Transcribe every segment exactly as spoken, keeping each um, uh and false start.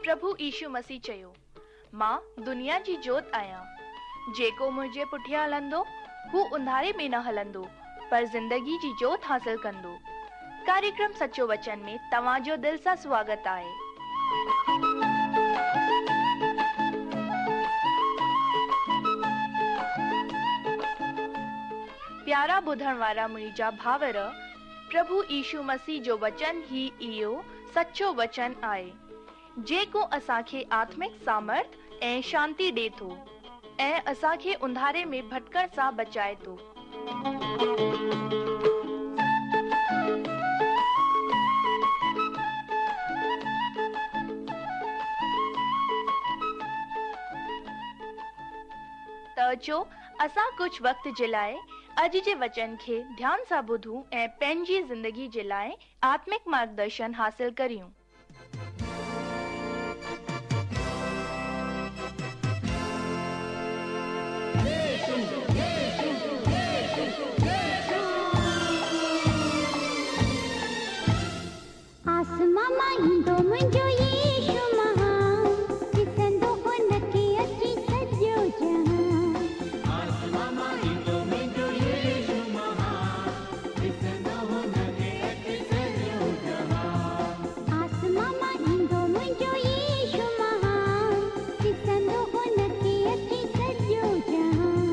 پرڀو يشو مسيح چيو، مان دنيا جي جوت آهيان. جيڪو منهنجي پٺيان هلندو، هو انڌاري ۾ نه هلندو، پر زندگي جي جوت حاصل ڪندو. ڪاريڪرم سچو وچن ۾ توهان جو دل سان سواگت آهي. پيارا ٻڌڻ وارا منهنجا ڀائر، پرڀو يشو مسيح جو وچن ئي اهو سچو وچن آهي، جيڪو اسان کي آتمڪ سامرٿ ۽ شانتي ڏي ٿو ۽ اسان کي انڌاري ۾ ڀٽڪڻ سان بچائي ٿو. ته اچو اسان ڪجهه وقت جي لاء اڄ جي وچن کي ڌيان سان ٻڌون ۽ پنهنجي زندگي جي لاء آتمڪ مارگدرشن حاصل ڪريون. آسمان مان ايندو منهنجو يشو مهان، ڏسندو هن کي اچي سڄو جهان. آسمان مان ايندو منهنجو يشو مهان، ڏسندو هن کي اچي سڄو جهان. آسمان مان ايندو منهنجو يشو مهان، ڏسندو هن کي اچي سڄو جهان.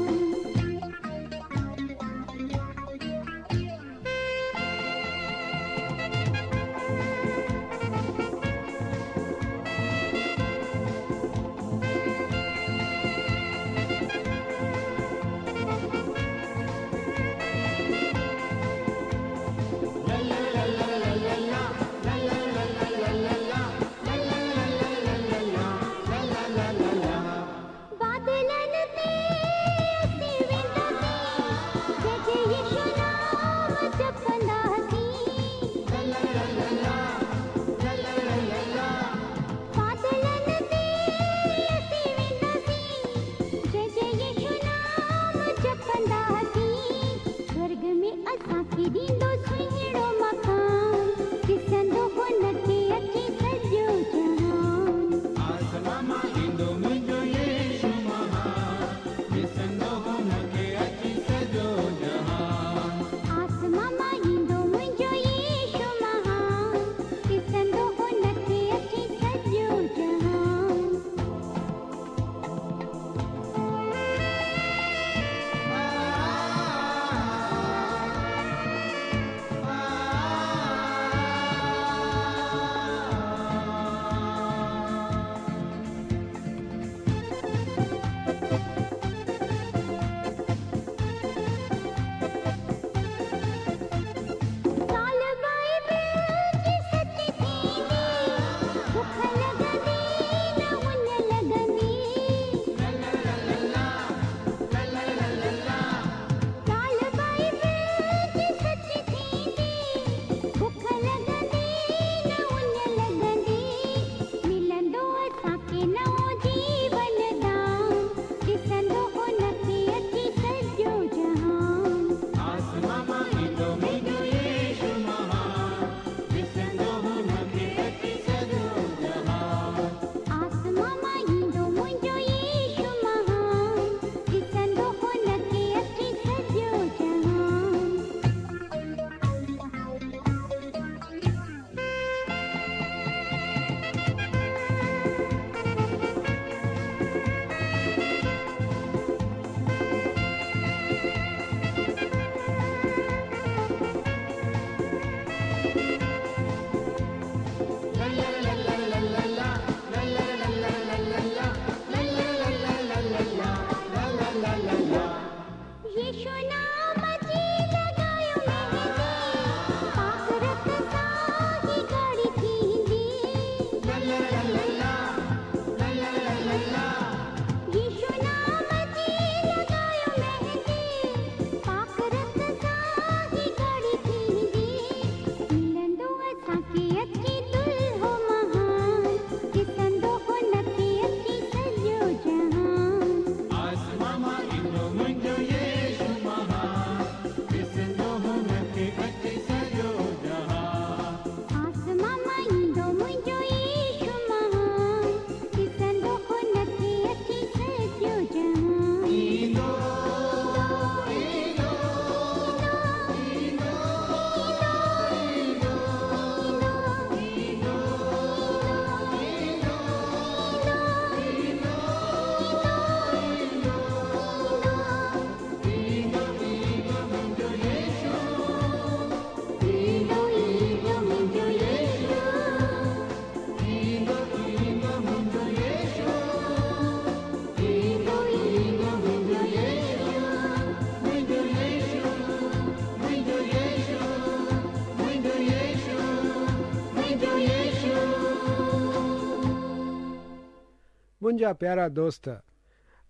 منهنجا پيارا دوست،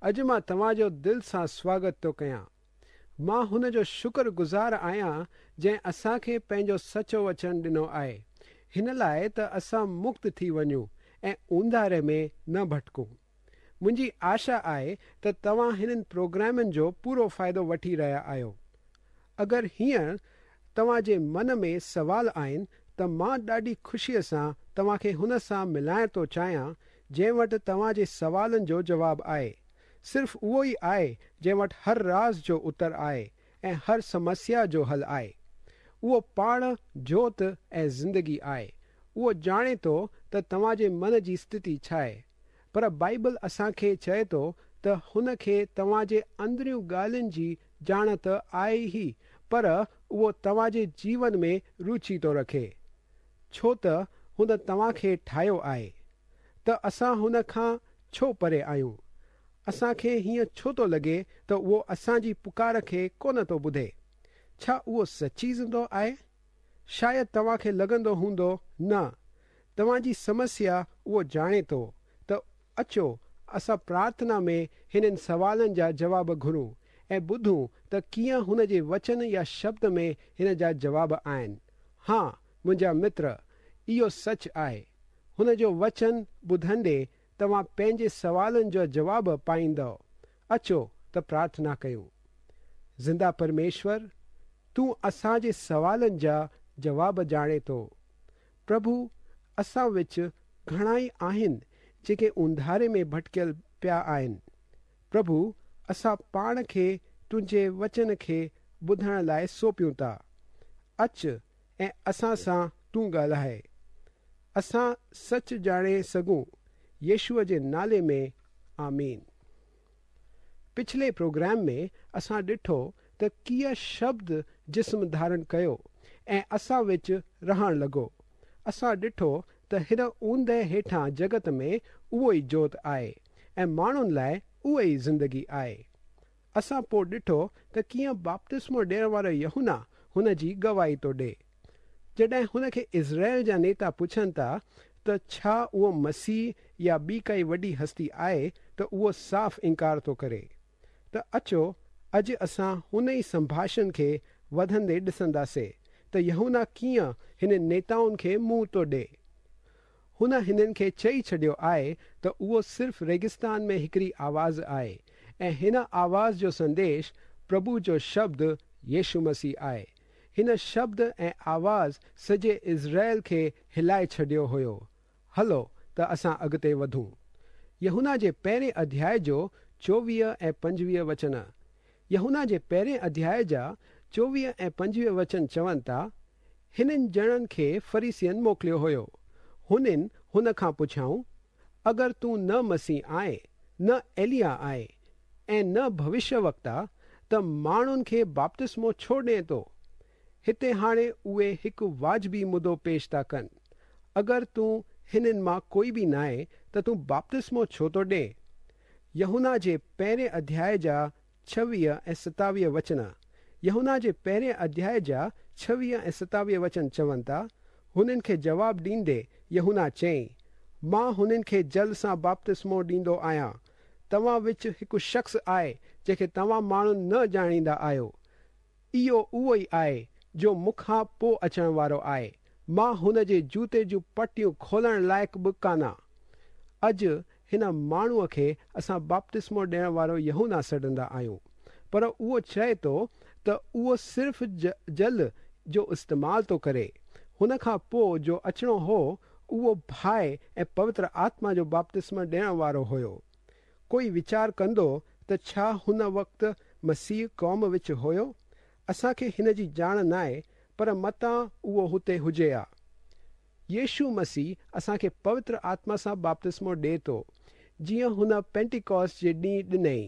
اڄ مان توهان جو دل سان سواگت ٿو ڪيان. مان هن جو شڪر گذار آهيان جنهن اسان کي پنهنجو سچو وچن ڏنو آهي، هن لاءِ ته اسان مڪت ٿي وڃون ۽ اونڌاري ۾ نه ڀٽڪون. منهنجي آشا آهي ته توهان هنن پروگرامن جو پورو فائدو وٺي رهيا آهيو. اگر هينئر توهان جي من ۾ سوال آهن ته مان ڏاڍي خوشيءَ سان توهان کي هن سان ملائڻ ٿو چاهيان جنهن وٽ توهان جي سوالن جو جواب آهي. صرف اهو ئي آهي جنهن وٽ هر راز جو اتر آهي ۽ هر سمسيا جو حل آهي. اهو پاڻ جوت ۽ زندگي آهي. اهو ڄاڻي ٿو ته توهان جي من جي اسٿتي ڇا آهي، پر بائيبل اسان کي چئي ٿو ته هن کي توهان جي اندريون ڳالهين جي ڄاڻ ته آهي ئي، پر اهو توهان جي جيون ۾ رچي ٿو رکي، ڇو ته هن توهان کي ٺاهيو آهي. ته اسان هن کان ڇو پري آهيون؟ اسان کي هيئن ڇو ٿو لڳي ته اهو اسان جي پڪار کي ڪونه ٿو ٻڌي؟ ڇا اهو سچي زندو آهي؟ شايد توهان کي لڳندو هوندو نه. توهان جي سمسيا اهو ڄاڻي ٿو. ته اچو اسان پرارٿنا ۾ هنن سوالن جا جواب گهرون ۽ ٻڌون ته ڪيئن هن جي وچن يا شبد ۾ هن جا جواب آهن. ها منهنجا متر، اهو سچ آهي. هن جو وچن ٻڌندي توهان پنهنجي سوالن جو جواب پائيندؤ. اچو ته پرارٿنا ڪيون. زنده پرميشور، تون اسان جي سوالن جا جواب ڄاڻي ٿو. پرڀو، اسان وچ گهڻا ئي آهن جيڪي اونڌاري ۾ ڀٽڪيل پيا آهن. پرڀو، اسان پاڻ کي تنهنجي وچن کي ٻڌڻ لاءِ سونپيون ٿا. اچ ۽ اسان سان تون ڳالهائي، اسان سچ ڄاڻي سگهون. يشوع جي نالي ۾ آمين. پڇلي پروگرام ۾ اسان ڏٺو ته ڪيئن شبد جسم ڌارڻ ڪيو ۽ اسان وچ رهڻ لڳو. اسان ڏٺو ته هن اوندهه هيٺان جڳت ۾ اهو ئي جوت آهي ۽ ماڻهن لاءِ اها ئي زندگي آهي. اسان پوءِ ڏٺو ته ڪيئن بپتسمو ڏيڻ وارو يوحنا هن جي گواهي ٿو ڏئي. جڏهن هن کي اسرائيل جا نيتا پڇن ٿا ته ڇا اهو مسيح يا ٻي ڪائي وڏي هستي آهي، ته اهو صاف انڪار ٿو ڪري. ته اچو اڄ اسان هن ئي سنڀاشڻ کي وڌندي ڏسنداسين ته يوحنا ڪيئن هن نيتائن کي منهن ٿو ڏئي. هن هنن کي چئي ڇڏيو آهي ته اهو صرف ريگستان ۾ هڪڙي آواز آهي ۽ هن آواز جو سنديش پرڀو جو شبد يشو مسيح آهي. هن شبد ۽ آواز سڄي اسرائيل کي هلائي ڇڏيو هيو. هلو ته اسان اڳتي وڌون. يوحنا جي پهرين اڌياءِ جو چوويهه ۽ پنجويهه وچن. يوحنا جي پهرين اڌياءِ جا چوويهه ۽ پنجويهه وچن چون ٿا، هنن ڄڻن کي فريسين موڪليو هيو. هنن هن کان پڇيائون، اگر تون نه مسيح آهي، نه ايليا آهي ۽ نه ڀوشيه وڪتا، ته ماڻهن کي بپتسمو ڇو ڏئين ٿو؟ هتي هاڻي اهي هڪ واجبي مدو پيش ٿا ڪن. اگر تون هنن مان ڪوئي به نه آهي ته تون بپتسمو ڇو ٿو ڏئين؟ يوحنا جي پهرين اڌياءِ جا ڇويهه ۽ ستاويهه وچن. يوحنا جي پهرين اڌياءِ جا ڇويهه ۽ ستاويهه وچن چون ٿا، هنن کي جواب ڏيندي يوحنا چيائين، مان هنن کي جل سان بپتسمو ڏيندو آهيان. توهان وچ هڪ شخص آهي جنهن کي توهان ماڻهو نه ڄاڻيندا آهيو. اهو اهو ئي آهي جو مون کان پوءِ اچڻ وارو آهي. مان هن جي جوتي جون پٽيون کولڻ لائق به ڪانه. اڄ هن ماڻهوءَ کي اسان بپتسمو ڏيڻ وارو يوحنا سڏندا آهيون، پر اهو چئي ٿو ته اهو صرف جل جو استعمال ٿو ڪري. هن کان پوءِ جو اچڻو هو اهو باهه ۽ پوتر آتما جو بپتسمو ڏيڻ وارو هيو. ڪوئي ويچار ڪندو ته ڇا هن وقت مسيح قوم وچ هيو؟ اسان کي هن جي ڄاڻ نه آهي، پر متان اهو هتي هجي ها. يشو مسيح اسان کي پوتر آتما سان بپتسمو ڏئي ٿو، جيئن هن پينٽيڪوسٽ جي ڏينهن ڏنئي.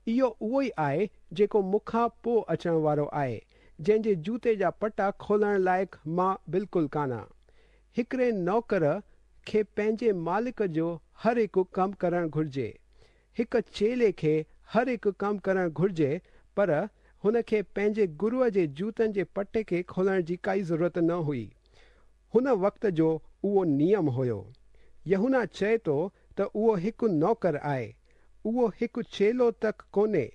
اهو اهو ئي آهي جيڪو مون کان پوءِ اچڻ وارو آهي، جنهن جي جوتي جا پٽا کولڻ لائق مان بلڪل ڪانه. هڪڙي نوڪر کي پنهنجي مالڪ جو هر هڪ ڪم ڪرڻ گهرجي. هڪ چيلي کي هر هڪ ڪم ڪرڻ گهرجي، پر هن کي پنهنجي گروءَ جي جوتن جي پٽي کي کولڻ جي ڪائي ضرورت نه هئي. هن وقت جو اهو نيم هيو. يوحنا چئي ٿو ته اهو هڪ نوڪر آهي. اهو هڪ چيلو تڪ ڪونهي،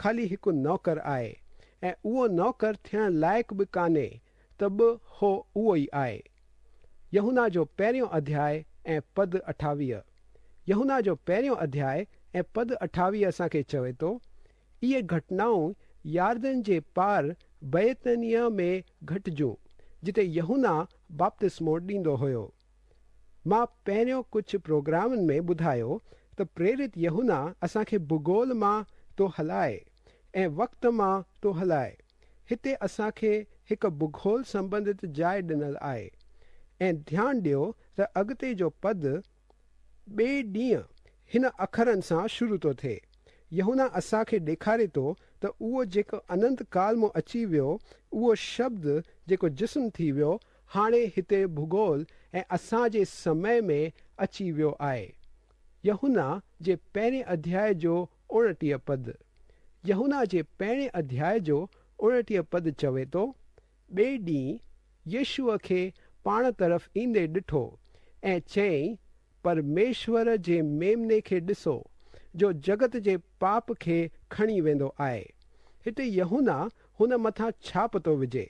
خالي هڪ نوڪر آهي ۽ اهو نوڪر ٿيڻ لائق به ڪانهي ته به هو اهو ئي آهي. يوحنا جو پهريون اڌياءُ ۽ پد اٺاويهه. يوحنا جو پهريون اڌياءُ ۽ پد اٺاويهه اسان کي چوي ٿو، اهي گهٽنائون ياردن جي پار بيتنيا ۾ گهٽجون، جتي يوحنا بپتسمو ڏيندو هيو. مان پهريون ڪجهه پروگرامن ۾ ٻڌايو ته پريرت يوحنا اسان کي ڀوگول مان ٿو هلائي ۽ وقت مان ٿو هلائي. هتي اسان کي هڪ ڀوگول سنبنڌت جاءِ ڏنل آهي ۽ ڌيان ڏيو ته اڳتي جو پد ٻئي ڏينهن هن اکرن سان شروع ٿو ٿئي. يوحنا اسان کي ڏيکاري ٿو ته اهو جيڪو اننت ڪال مان اچي ويو، اهو شبد جيڪو جسم ٿي ويو، هاڻي هتي ڀوگول ۽ اسان جي سمي ۾ اچي ويو آهي. يوحنا جي پهرين اڌياءُ جو اڻٽيهه پد. يوحنا جي پهرين اڌياءُ جو اڻٽيهه پد چوي ٿو، ٻئي ڏينهن يشوءَ کي پاڻ طرف ايندي ڏٺو ۽ چيائين، پرميشور جي ميمني کي ڏسو، جو جڳت جي پاپ کي کڻي ويندو آهي. هتي يوحنا هن مٿان ڇاپ ٿو وجهي.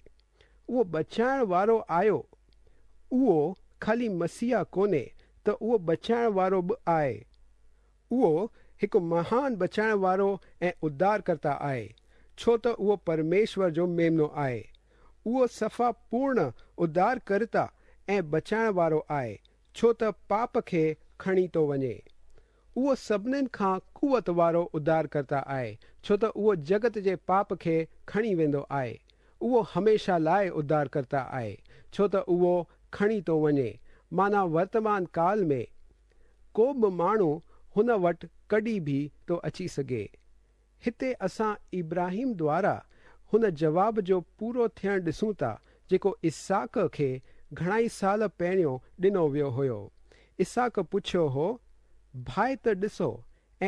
اهو بچائڻ وارو آيو. اهو خالي مسيح ڪونهي ته اهو بچائڻ وارو به آهي. اهو هڪ مهان بچائڻ وارو ۽ اڌارڪرتا آهي، ڇو ته اهو پرميشور جو ميمنو آهي. اهو صفا پورڻ اڌارڪرتا ۽ بچائڻ وارو آهي، ڇو ته پاپ کي کڻي ٿو وڃي. اهو سڀنين کان قوت وارو اڌارڪرتا آهي، ڇو ته اهو جڳت جي پاپ کي کڻي ويندو آهي. اهو هميشه لاءِ اڌارڪرتا آهي، ڇو ته اهو کڻي ٿو وڃي. معنيٰ ورتمان ڪال ۾ ڪو به ماڻهو هن وٽ ڪڏهن به ٿو اچي سگهي. هتي اسان ابراهيم دوارا هن جواب جو پورو ٿيڻ ڏسون ٿا، جيڪو اسحاق کي گهڻائي سال پهريون ڏنو ويو هيو. اسحاق پڇيو هو، باهه ته ڏسو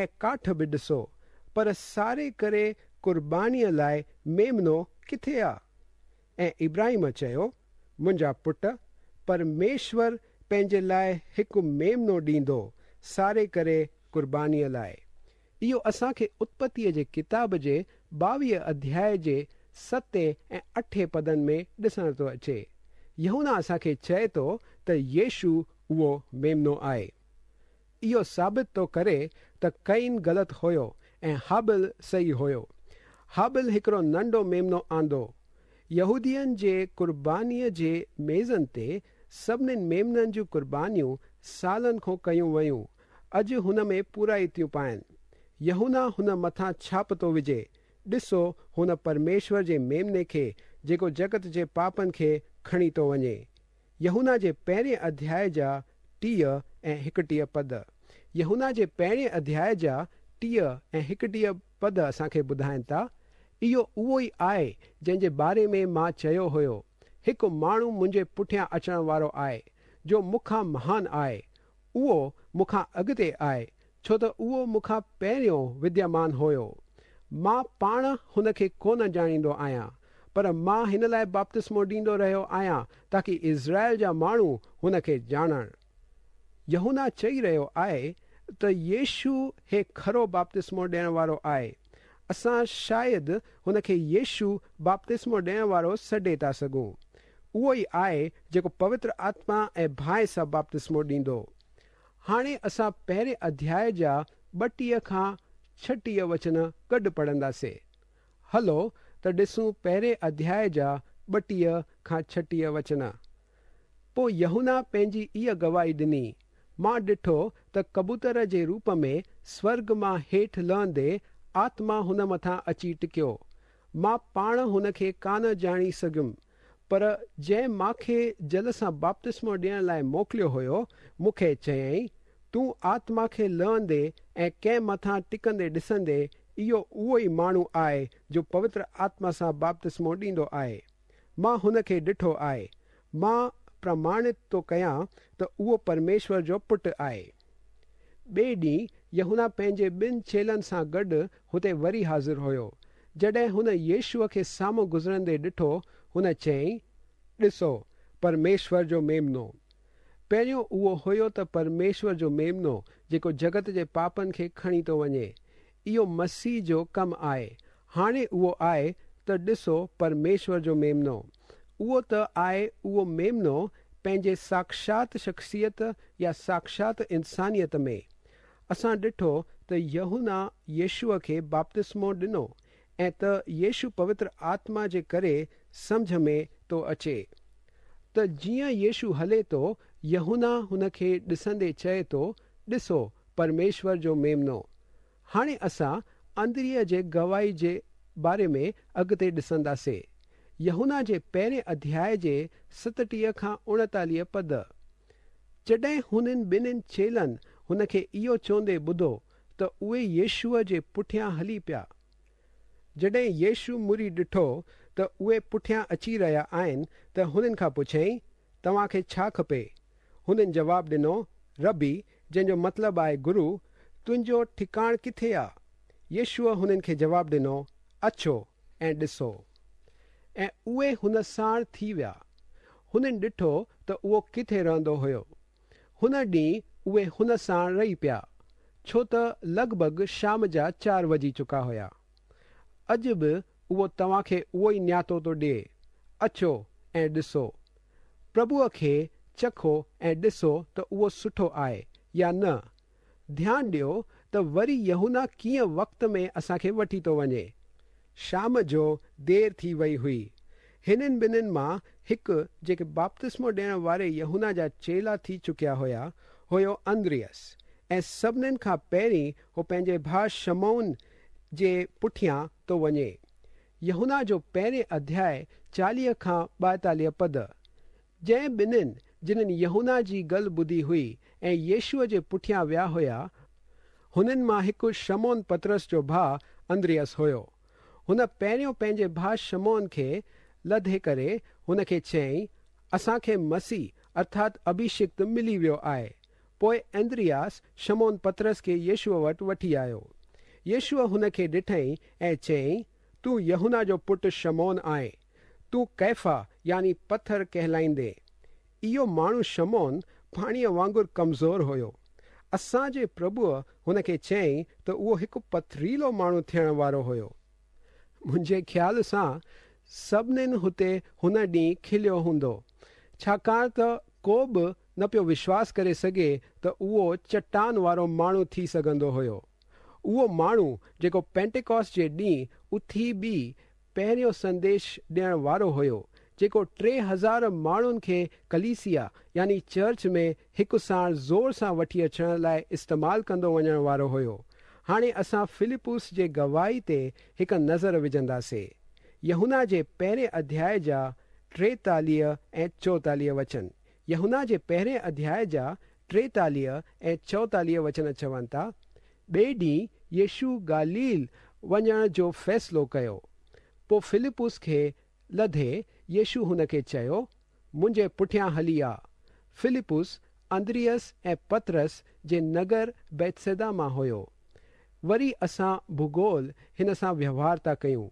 ۽ ڪاٺ به ڏسو، پر ساڙي ڪري قربانيءَ لاءِ ميمنو ڪٿي آ؟ ۽ ابراهيم چيو، منهنجا پٽ، پرميشور پنهنجي لاءِ هڪ ميمنو ڏيندو ساڙي ڪري قربانيءَ لاءِ. اهو اسان کي اتپتيءَ جي ڪتاب جي ٻاويهه اڌياءُ جي ستين ۽ اٺين پدن ۾ ڏسڻ ٿو اچي. يوحنا اسان کي چئي ٿو ته يشو اهو ميمنو آهي. اهو ثابت ٿو ڪري ته ڪين غلط هيو ۽ هابل صحيح هيو. هابل هڪڙو ننڍو ميمنو آندو. يهودين جي قربانيءَ جي ميزن تي سڀنين ميمنن جون قربانيون سالن کان ڪيون ويون، اڄ هن ۾ پورائي ٿيون پائن. يوحنا هن مٿان ڇاپ ٿو وجهي، ڏسو هن پرميشور جي ميمني کي، جيڪو جڳت جي پاپن کي کڻي ٿو وڃي. يوحنا جي پهرين اڌياءُ جا ٽيهه ۽ هڪٽيهه پد. يوحنا جي پهرين اڌياءُ جا ٽيهه ۽ هڪٽيهه پد اسان کي ٻڌائين ٿا، اهو اهو ئي آهي جنهن جي باري ۾ مان چيو هيو، هڪ ماڻهو منهنجي پٺيان اچڻ وارو آهي، جو مون کان مهان آهي. اهو مون کان اڳتي آهي، ڇو ته اهو مون کان پهريون وديمان هيو. مان پاڻ هن کي ڪونه ڄاڻيندو آهيان، پر مان هن لاءِ بپتسمو ڏيندو رهيو آهيان تاڪه اسرائيل جا ماڻهو هن کي ڄاڻن. يوحنا چئي رهيو آهي ته يشو هي کرو بپتسمو ڏيڻ وارو آهي. اسان شايد هن کي يشو بپتسمو ڏيڻ وارو سڏي ٿا سگهون. اهو ئي آهي جيڪو پوتر آتما ۽ باهه سان بپتسمو ڏيندو. هاڻي اسان پهرين اڌياءُ جا ٻٽيهه کان ڇٽيهه وچن گڏ پڙهنداسين. هلو ته ڏسون پهرين اڌياءُ جا ٻٽيهه کان ڇٽيهه وچن. پوءِ يوحنا پنهنجي اها گواهي ڏني، مان ڏٺو ته ڪبوتر جي روپ ۾ سورڳ مان هيٺ لهندي آتما هن مٿان اچي ٽڪيو. مان پاڻ هن کي ڪانه ڄاڻي سگهيم، پر جنهن مان کي جل سان بپتسمو ڏيڻ لاءِ موڪليو هيو، مون کي چيائين، تون آتما کي لهندي ۽ ڪنهن مٿان ٽڪندي ڏسندي، اهو اهو ئي ماڻهو آهي جو پوتر آتما سان بپتسمو ڏيندو آهي. مان هن کي ڏٺو آهي. مان پرماڻت ٿو ڪيان ته اهو پرميشور جو پٽ آهي. ٻئي ڏينهن يوحنا پنهنجي ٻن چيلن سان گڏ هتي وري حاضر هيو. جڏهن هن يشوءَ کي سامهون گذرندي ڏٺو، هن چيائين، ڏسو پرميشور جو ميمنو. پهريون اهو هيو ته پرميشور جو ميمنو جيڪو جڳت جي پاپن کي کڻي ٿو وڃي. اهو مسيح جو ڪم آهي. هاڻي اهو آهي ته ڏسو پرميشور جو ميمنو. اهو ته آهي اهو ميمنو پنهنجي ساکشات شخصيت يا ساکشات انسانيت ۾. اسان ڏٺو ته يوحنا يشوع کي بپتسمو ڏنو ۽ ته يشو پوتر آتما جي ڪري سمجهه ۾ ٿو اچي. ته جيئن يشو هلي ٿو يوحنا هن کي ڏسندي چئي ٿو ڏسو پرميشور جو ميمنو. هاڻي اسان اندريا جي گواهي جي باري ۾ اڳتي ڏسنداسين. يوحنا جي پهرين اڌياءِ جي ستٽيهه کان اوڻيتاليهه پد. جڏهن هنن ٻنهن چيلن هن کي اهو چوندي ٻڌو ته اهي يشوع جي پٺيان هلي پيا. جڏهن يشو مڙي ڏٺو ته اهي پٺيان اچي رهيا آهن ته هنن کان پڇيائين توهان کي ڇا کپي؟ هنن جواب ڏنو ربي، جنهن جو مطلب آهي گرو، تنهنجو ٺڪاڻ ڪٿي آ؟ يشوع هنن کي جواب ڏنو اچو ۽ ڏسو. ۽ اهي هن ساڻ ٿي ويا. هنن ڏٺو ته اهو ڪٿي رهندو هيو. هن ڏينهن اهي هن ساڻ رهي پيا، ڇو ته لڳ ڀڳ شام جا چار وڄي چڪا هيا. اڄ به اهو توهان کي اهو ئي نياتو ٿو ڏئي، اچو ۽ ڏسو. پرڀوءَ کي چکو ۽ ڏسو ته اهو سٺو آهي يا نه. ڌيان ڏيو ته وري يوحنا ڪيئن وقت ۾ اسان کي وٺي ٿو وڃي. شام جو دير ٿي وئي هئي. هنن ٻنهن مان هڪ جيڪي بپتسمو ڏيڻ واري يوحنا جا چيلا ٿي چڪيا هيا هيو اندريس، ۽ سڀنين کان پهرين هو پنهنجي ڀاءُ شمعون جي پٺيان ٿو وڃي. يوحنا جو پهرين اڌياءِ چاليهه کان ٻائيتاليهه پد. جنهن ٻنهن جنهن يوحنا جي ڳالهه ٻڌي هئي ۽ يشوع جي پٺيان ويا هيا، هنن مان هڪ شمعون پطرس جو ڀاءُ اندريس هيو. هن پهريون پنهنجي ڀاءُ شمعون کي لڌي ڪري هن کي چيائين اسان کي مسيح ارٿات اڀشڪت ملي ويو آهي. پوءِ اندرياس شمعون پطرس کي يشوع وٽ وٺي آيو. يشوع هن کي ڏٺئين ۽ چيائين تون يوحنا جو پٽ شمعون آهين، تون ڪيفا يعني پٿر ڪهلائيندين. اهو ماڻهو شمعون پاڻيءَ وانگر ڪمزور هيو. اسان جي پرڀوءَ هن کي چيائين ته اهو هڪ پٿريلو ماڻهو ٿيڻ وارو هيو. منهنجي خيال سان سڀنين هتي هن ڏينهن کليو هوندو، ڇاڪاڻ ته ڪو به نه پيو وشواس ڪري سگهي ته اهو چٽان وارو ماڻهو ٿي سگهندو هيو. اهو ماڻهو جيڪو پينٽيڪوس جي ڏينهن اٿي به پهريون سنديش ڏيڻ وارو هيو، جيڪو ٽي هزار ماڻهن کي ڪليسيا يعني چرچ ۾ هڪ ساڻ زور سان وٺي اچڻ لاءِ استعمال ڪندو وڃڻ وارو هيو. هاڻي اسان فلپس جي گواهي تي هڪ نظر وجهنداسين. يوحنا جي پهرين اڌياءِ جا ٽيتاليهه ۽ چوئيتاليهه وچن. يوحنا جي پهرين اڌياءِ جا ٽيتاليهه ۽ چوئيتاليهه وچن چون ٿا، ٻئي ڏينهن يشو گليل وڃڻ جو فيصلو ڪيو. پوءِ فلپس کي لڌي يشو هن کي چيو منهنجي پٺيان هلي آ. فلپس اندريس ۽ پطرس جي نگر بيتسيدا مان هيو. وري اسان ڀوگول هن سان وهنوار ٿا ڪيون.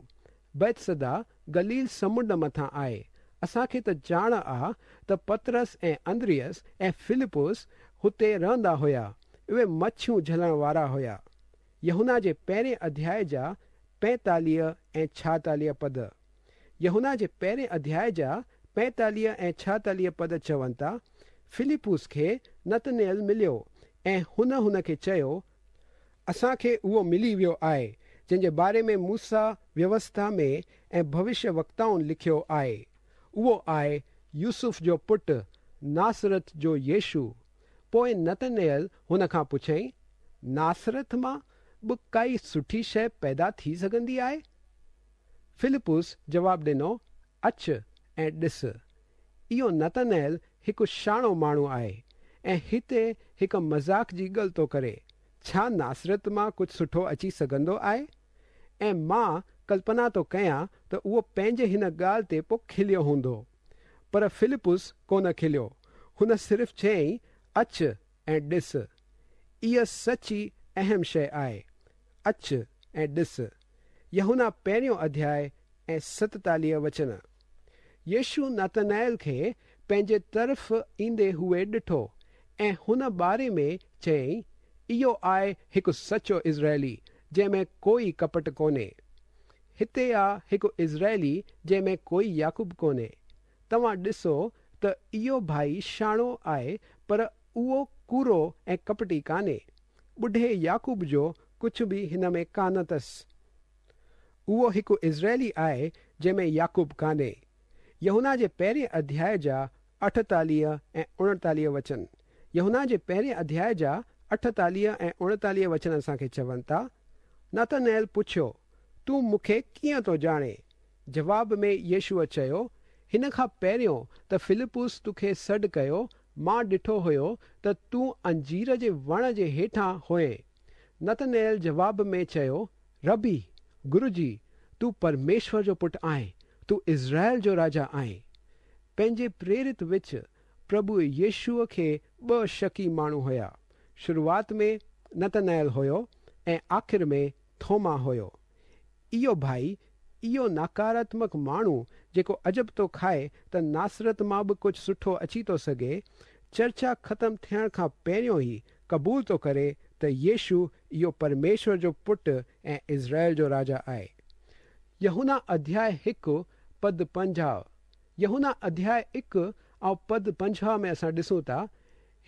بيتسيدا گليل سمنڊ مٿان آهي. اسان کي ته ڄاڻ آ ته پطرس ۽ اندريس ۽ فلپس هتي رهندا هيا. اهي مڇيون جهلڻ وارا هيا. يوحنا جي پهرين اڌياءِ جا پنجيتاليهه ۽ ڇائيتاليهه پد. يوحنا جي پهرين اڌياءِ جا پنجيتاليهه ۽ ڇائيتاليهه پد چون ٿا، فلپس کي نتنيل مليو ۽ هن هن کي چيو اسان کي اهو ملي ويو آهي جنهن جي باري ۾ موسيٰ ويوسٿا ۾ ۽ ڀوشيه وڪتائن لکيو آهي. اهو آهي يوسف جو پٽ ناصرت جو يشو. پوءِ نتنيل هن کان پڇيائين ناصرت مان به ڪائي سٺي شيءِ پيدا ٿي سگهندي آهي؟ فلپس جواب ڏنو اچ ۽ ڏس. اهو نتنيل هڪ شاڻو ماڻهو آهي ۽ هتي هڪ مذاق جي ڳالهه ٿو ڪري. ڇا ناصرت مان ڪجهه سٺو اچي سگهندو آهي؟ ۽ مان ڪلپنا ٿو ڪيان ته اهو پنهنجي هن ڳالهه تي پوءِ کليو هوندو. پر فلپس ڪونه کليو. هن صرف چيائين اچ ۽ ڏس. اها سچي اهم شيءِ آهي. اچ ۽ ڏس. يوحنا پهريون اڌياءِ ۽ ستيتاليهه وچن. يشو نتنيل کي پنهنجي طرف ايندي هوئي ڏٺو ۽ هن باري ۾ چيائين، اهو آهي هڪ سچو اسرائيلي جنهن ۾ ڪوئي ڪپٽ ڪونهي. هتي آ هڪ اسرائيلي جنهن ۾ ڪوئي يعقوب ڪونهي. توهان ڏسو ته اهو ڀائي شاڻو آهي پر اهو ڪوڙو ۽ ڪپٽي ڪانهي. ٻڍي يعقوب جو ڪجهه به هن ۾ ڪانه اٿس. اهو هڪ اسرائيلي آهي جنهن ۾ يعقوب ڪانهي. يوحنا جي پهرين اڌياءِ جا اٺيتاليهه ۽ اوڻيتاليهه وچن. يوحنا جي پهرين اڌياءِ جا اٺيتاليهه ۽ اوڻيتاليهه وچن اسان کي چون ٿا، نتنيل پڇيو، تون مون کي ڪيئن ٿو ڄاڻين؟ جواب ۾ يشوع چيو، هن کان پهريون ته فلپس توکي سڏ ڪيو، مان ڏٺو هيو ته تون انجير جي وڻ جي هيٺان هئين. نتنيل جواب ۾ چيو، ربي، گروجي، تون پرميشور جو پٽ آهين، تون اسرائيل جو راجا آهين. پنهنجي پريرت وچ پرڀو يشوع کي ٻه شڪي ماڻهو هيا. شروعات ۾ نتنيل هيو ۽ آخر ۾ ٿوما هيو. اهو ڀائي، اهو ناڪاراتمڪ ماڻهو جيڪو عجب ٿو کائي ته ناصرت مان به ڪجهه سٺو اچي ٿو سگهي، چرچا ختم ٿيڻ کان پهريون ئي قبول ٿو ڪري ته يشوع اهو پرميشور جو پٽ ۽ اسرائيل جو راجا آهي. يوحنا اڌياءِ هڪ پد پنجاهه. يوحنا اڌياءِ هڪ ۽ پد پنجاهه ۾ اسان ڏسون ٿا،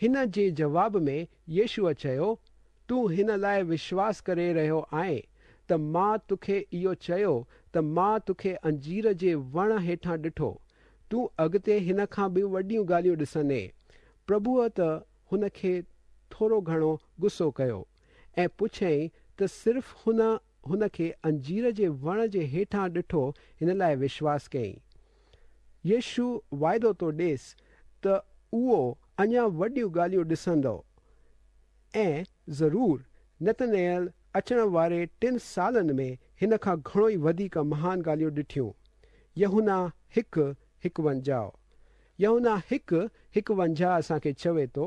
هن جي جواب ۾ يشوع چيو، تون هن لاءِ وشواس ڪري رهيو آهين ته مان توکي اهو چيو ته مان توکي انجير جي وڻ هيٺان ڏٺو. تون اڳتي هن کان به وڏيون ڳالهيون ڏسندين. پرڀوءَ ته هن کي ٿورو گهڻو غصو ڪيو ۽ پڇيائين ته صرف هن هن کي انجير جي وڻ جي هيٺان ڏٺو، هن لاءِ وشواس ڪيائين. يشوع واعدو ٿو ڏيس ته اهو اڃا وڏيون ڳالهيون ڏسندو ۽ ضرور نتنيل اچڻ واري ٽن سالن ۾ هن کان گهڻو ئي وڌيڪ مهان ڳالهيون ڏٺيون. يوحنا هڪ هڪونجاهه. يوحنا هڪ هڪونجاهه اسان کي چوي ٿو،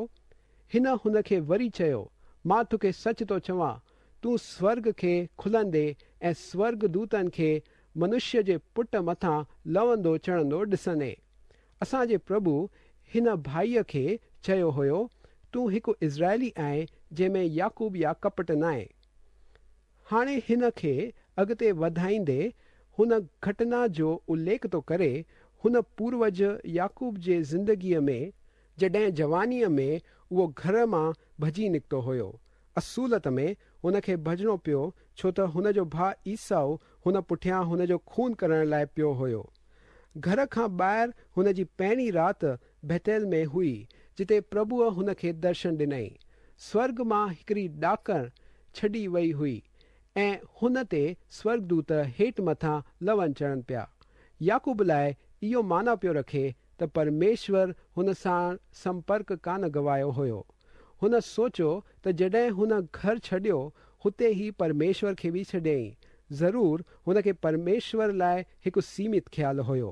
هن هن کي وري چيو، مان توکي سچ ٿو چوان، تون سورڳ کي کلندي ۽ سورڳ دوتن کي منشيه جي پٽ مٿان لهندو چڙهندو ڏسندين. اسان جي پرڀو هن ڀائيءَ کي چيو هيو، تون هڪ اسرائيلي آهين جنهن ۾ يعقوب يا ڪپٽ ناهي. هاڻي هن کي اڳتي وڌائيندي هن گهٽنا جو اليک ٿو ڪري، هن پوروج يعقوب جي زندگيءَ ۾ جڏهن جوانيءَ ۾ اهو گهر مان ڀڄي نڪتو هيو. اصولت ۾ هن کي ڀڄڻو پيو ڇو ته هن جو ڀاءُ عيسو هن پٺيان هن جو خون ڪرڻ لاءِ پيو هيو. گهر کان ٻاهر هن جي پهرين رات بيتيل ۾ هئي، جتي پرڀوءَ هن کي درشن ڏنائين. سورڳ مان هڪڙي ڏاڪڻ ڇڏي وئي هئي ۽ هن تي سورڳدوت هيٺ مٿان لهن چڙهن پيا. يعقوب لاءِ اهو معنيٰ پيو رکي ته پرميشور هن سان سمپرڪ ڪانه گوايو هيو. هن سوچيو ته جڏهن هن گهر ڇڏيو هتي ئي پرميشور کي به ڇڏيائين. ضرور هن کي پرميشور لاءِ هڪ سيمت خيال هيو.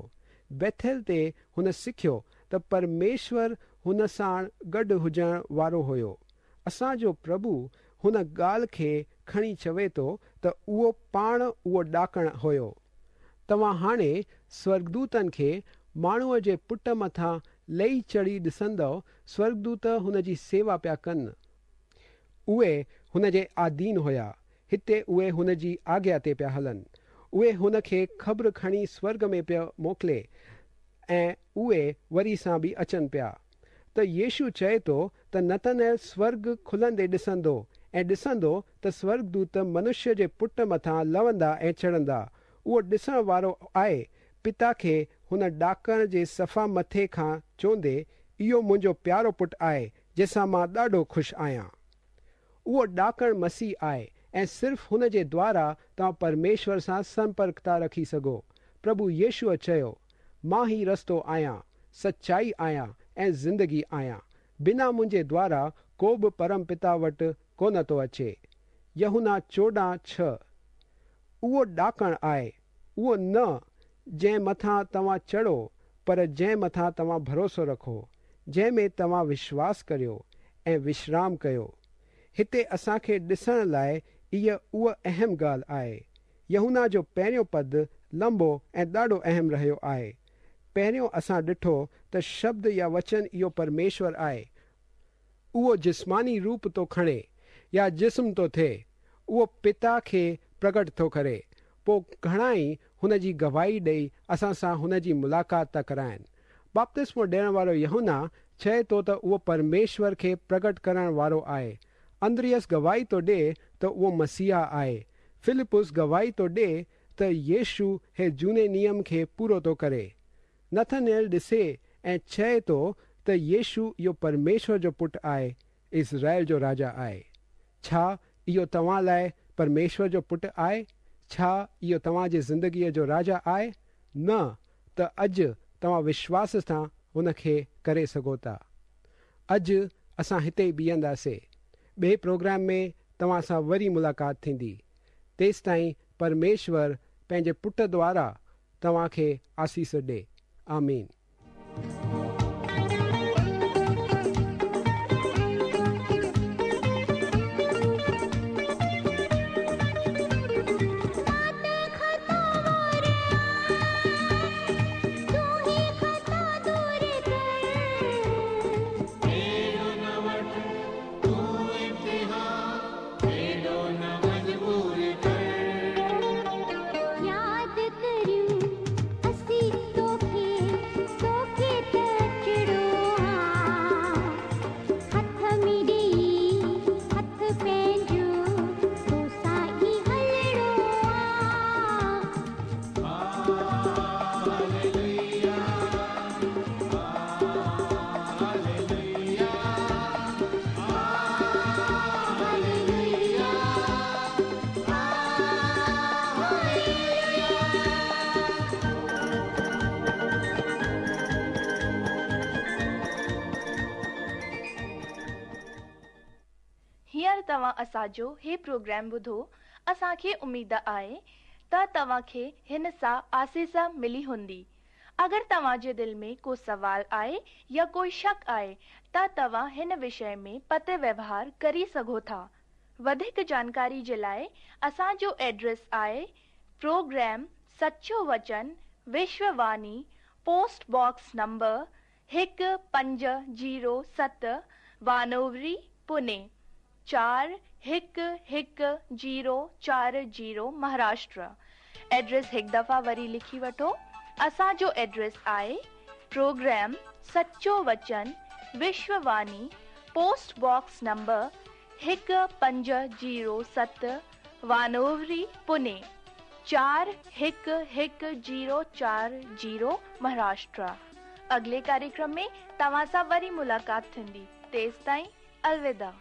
بيٿيل تي هن سکيو ته پرميشور هن سان گڏ هجڻ وارو هيو. اسان جو پرڀو هن ڳالهه کي کڻي چوي ٿو ته اهو پاڻ اهو ڏاڪڻ هيو. توهان هاڻي سورڳدوتن کي ماڻهوءَ جي پٽ مٿان لهي چڙهي ڏسندؤ. سورڳدوت هن جي سيوا پيا ڪن. اهي هن جي آڌين هيا. هتي اهي هن جي آگيا تي پيا هلن. اهي هن کي خبر کڻي سورڳ ۾ پيا موڪلي ۽ اهي وري سان به اچن پيا. ته يشوع چئي ٿو ته نتنيل سورڳ کلندي ڏسندو ۽ ڏسندو ته سورڳدوت منشيه جي پٽ مٿان لهندا ۽ چڙهندا. اهو ڏسڻ وارو آهي. پتا کي هن ڏاڪڻ جي صفا مٿي کان چوندي، اهو منهنجو پيارو پٽ آهي جنهن سان مان ڏاڍو خوش آهيان. اهو ڏاڪڻ مسيح آهي ۽ صرف هن جي دوارا توهان پرميشور سان سمپرڪ ٿا رکي سگهو. پرڀو يشوع چيو، مان ئي رستو آهيان، سچائي آهيان ۽ زندگي آهيان. بنا منهنجي دوارا ڪو به پرم پتا وٽ ڪونه ٿو اچي. يوحنا چوڏهن ڇهه. اهو ڏاڪڻ آهي، اهو نه جنهن مٿان توهان چڙهو، پر جنهن مٿان توهان ڀروسو رکو، جنهن ۾ توهان وشواس ڪريو ۽ وشرام ڪيو. هتي اسان کي ڏسڻ لاءِ اها اها اهم ڳالهه آهي. يوحنا جو پهريون پد لمبو ۽ ڏاڍو اهم رهيو آهي. पहिरियों असां ॾिठो त शब्द या वचन इहो परमेश्वर आहे। उहो जिस्मानी रूप थो खणे या जिस्म थो थिए, उहो पिता खे प्रगट थो करे। पोइ घणा ई हुन जी गवाही ॾेई असां सां हुन जी मुलाक़ात था कराइनि। बपतिस्मो ॾियण वारो यूहन्ना चए थो त उहो परमेश्वर खे प्रगट करण वारो आहे। अंद्रियस गवाही थो ॾिए त उहो मसीहा आहे। फिलिपुस गवाही थो ॾिए त यीशु हे जूने नियम खे पूरो थो करे। नथनेल ॾिसे ऐं चए थो त यीशु इहो परमेश्वर जो पुट आहे, इज़राइल जो राजा आहे। छा इहो तव्हां लाइ परमेश्वर जो पुट आहे? छा इहो तव्हांजी ज़िंदगीअ जो राजा आहे? न त अॼु तव्हां विश्वास सां हुनखे करे सघो था। अॼु असां हिते ई बीहंदासीं। ॿिए प्रोग्राम में तव्हां सां वरी मुलाक़ात थींदी। तेसि ताईं परमेश्वर पंहिंजे पुट द्वारा तव्हांखे आसीस ॾे। आमीन। तव्हां असांजो हे प्रोग्राम ॿुधो। असांखे उमेद आहे त तव्हांखे हिन सां आसीस मिली हूंदी। अगरि तव्हांजे दिलि में को सवाल आहे या कोई शक आहे त तव्हां हिन विषय में पत्र व्यवहार करी सघो था। वधीक जानकारी जे लाइ असांजो एड्रेस आहे प्रोग्राम सचो वचन विश्ववाणी, पोस्ट बॉक्स नंबर हिकु पंज ज़ीरो सत, वानोवरी, पुणे चार हिकु हिकु ज़ीरो चार ज़ीरो, महाराष्ट्र। एड्रेस हिकु दफ़ा वरी लिखी वठो। असांजो एड्रेस आहे प्रोग्राम सचो वचन विश्ववाणी, पोस्ट बॉक्स नंबर हिकु पंज ज़ीरो सत, वानोवरी, पुणे चार हिकु हिकु ज़ीरो चार ज़ीरो, महाराष्ट्र। अगले कार्यक्रम में तव्हां सां वरी मुलाक़ात थींदी। तेसि ताईं अलविदा।